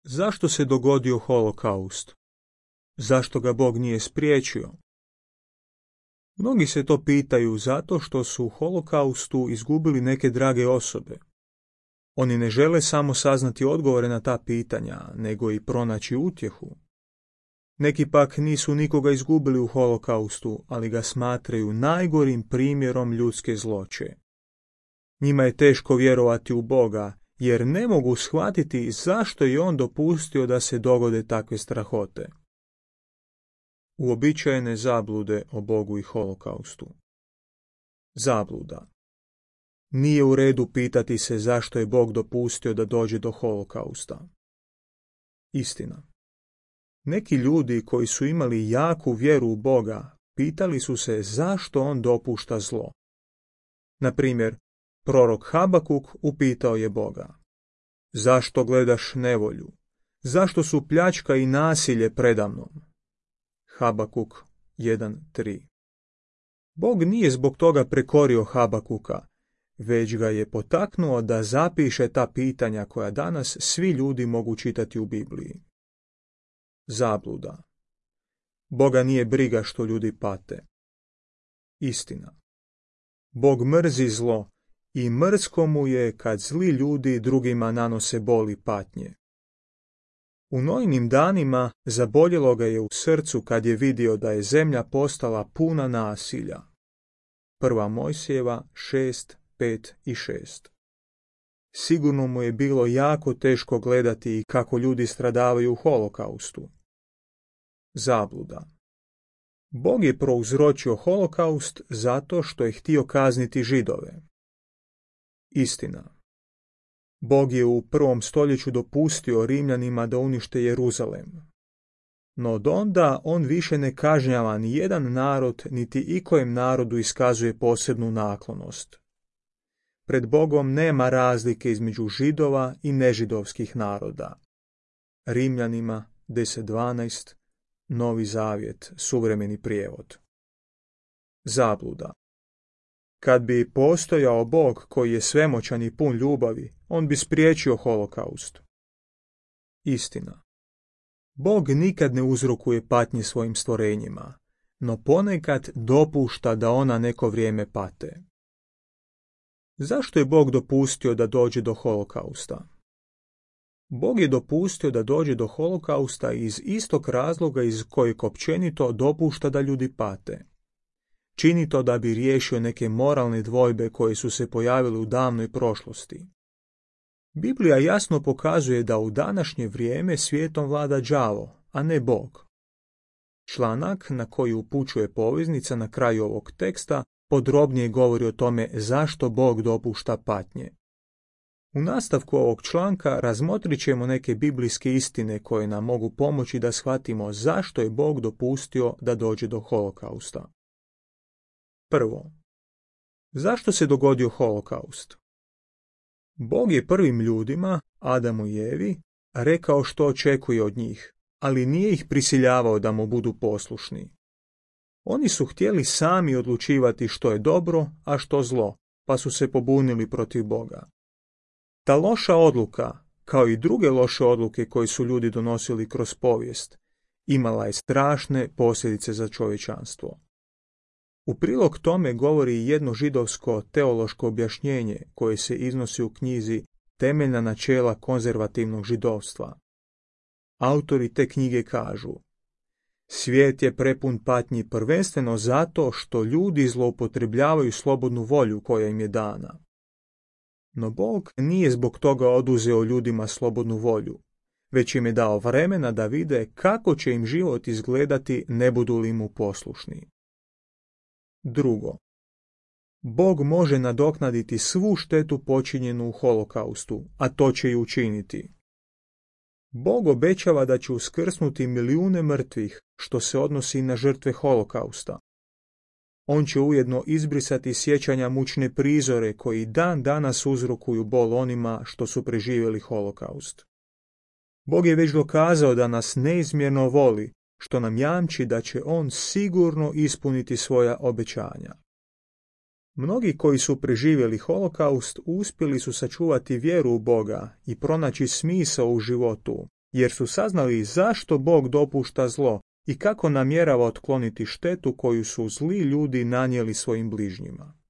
Zašto se dogodio holokaust? Zašto ga Bog nije spriječio? Mnogi se to pitaju zato što su u holokaustu izgubili neke drage osobe. Oni ne žele samo saznati odgovore na ta pitanja, nego i pronaći utjehu. Neki pak nisu nikoga izgubili u holokaustu, ali ga smatraju najgorim primjerom ljudske zloće. Njima je teško vjerovati u Boga, jer ne mogu shvatiti zašto je on dopustio da se dogode takve strahote. Uobičajene zablude o Bogu i holokaustu. Zabluda. Nije u redu pitati se zašto je Bog dopustio da dođe do holokausta. Istina. Neki ljudi koji su imali jaku vjeru u Boga pitali su se zašto on dopušta zlo. Na primjer, prorok Habakuk upitao je Boga: zašto gledaš nevolju? Zašto su pljačka i nasilje predamnom? Habakuk 1.3. Bog nije zbog toga prekorio Habakuka, već ga je potaknuo da zapiše ta pitanja koja danas svi ljudi mogu čitati u Bibliji. Zabluda. Boga nije briga što ljudi pate. Istina. Bog mrzi zlo i mrsko mu je kad zli ljudi drugima nanose bol i patnje. U Nojinim danima zaboljelo ga je u srcu kad je vidio da je zemlja postala puna nasilja. 1. Mojsijeva 6, 5 i 6. Sigurno mu je bilo jako teško gledati kako ljudi stradavaju u holokaustu. Zabluda. Bog je prouzročio holokaust zato što je htio kazniti Židove. Istina. Bog je u 1. stoljeću dopustio Rimljanima da unište Jeruzalem. No od onda on više ne kažnjava ni jedan narod, niti ikojem narodu iskazuje posebnu naklonost. Pred Bogom nema razlike između Židova i nežidovskih naroda. Rimljanima 10.12, Novi Zavjet, suvremeni prijevod. Zabluda. Kad bi postojao Bog koji je svemoćan i pun ljubavi, on bi spriječio holokaust. Istina. Bog nikad ne uzrokuje patnje svojim stvorenjima, no ponekad dopušta da ona neko vrijeme pate. Zašto je Bog dopustio da dođe do holokausta? Bog je dopustio da dođe do holokausta iz istog razloga iz kojeg općenito dopušta da ljudi pate. Čini to da bi riješio neke moralne dvojbe koje su se pojavile u davnoj prošlosti. Biblija jasno pokazuje da u današnje vrijeme svijetom vlada đavo, a ne Bog. Članak na koji upućuje poveznica na kraju ovog teksta podrobnije govori o tome zašto Bog dopušta patnje. U nastavku ovog članka razmotrit ćemo neke biblijske istine koje nam mogu pomoći da shvatimo zašto je Bog dopustio da dođe do holokausta. Prvo, zašto se dogodio holokaust? Bog je prvim ljudima, Adamu i Evi, rekao što očekuje od njih, ali nije ih prisiljavao da mu budu poslušni. Oni su htjeli sami odlučivati što je dobro, a što zlo, pa su se pobunili protiv Boga. Ta loša odluka, kao i druge loše odluke koje su ljudi donosili kroz povijest, imala je strašne posljedice za čovječanstvo. U prilog tome govori jedno židovsko teološko objašnjenje koje se iznosi u knjizi Temeljna načela konzervativnog židovstva. Autori te knjige kažu: svijet je prepun patnji prvenstveno zato što ljudi zloupotrebljavaju slobodnu volju koja im je dana. No Bog nije zbog toga oduzeo ljudima slobodnu volju, već im je dao vremena da vide kako će im život izgledati ne budu li mu poslušni. Drugo, Bog može nadoknaditi svu štetu počinjenu u holokaustu, a to će i učiniti. Bog obećava da će uskrsnuti milijune mrtvih, što se odnosi na žrtve holokausta. On će ujedno izbrisati sjećanja mučne prizore koji dan danas uzrokuju bol onima što su preživjeli holokaust. Bog je već dokazao da nas neizmjerno voli, što nam jamči da će on sigurno ispuniti svoja obećanja. Mnogi koji su preživjeli holokaust uspjeli su sačuvati vjeru u Boga i pronaći smisao u životu, jer su saznali zašto Bog dopušta zlo i kako namjerava otkloniti štetu koju su zli ljudi nanijeli svojim bližnjima.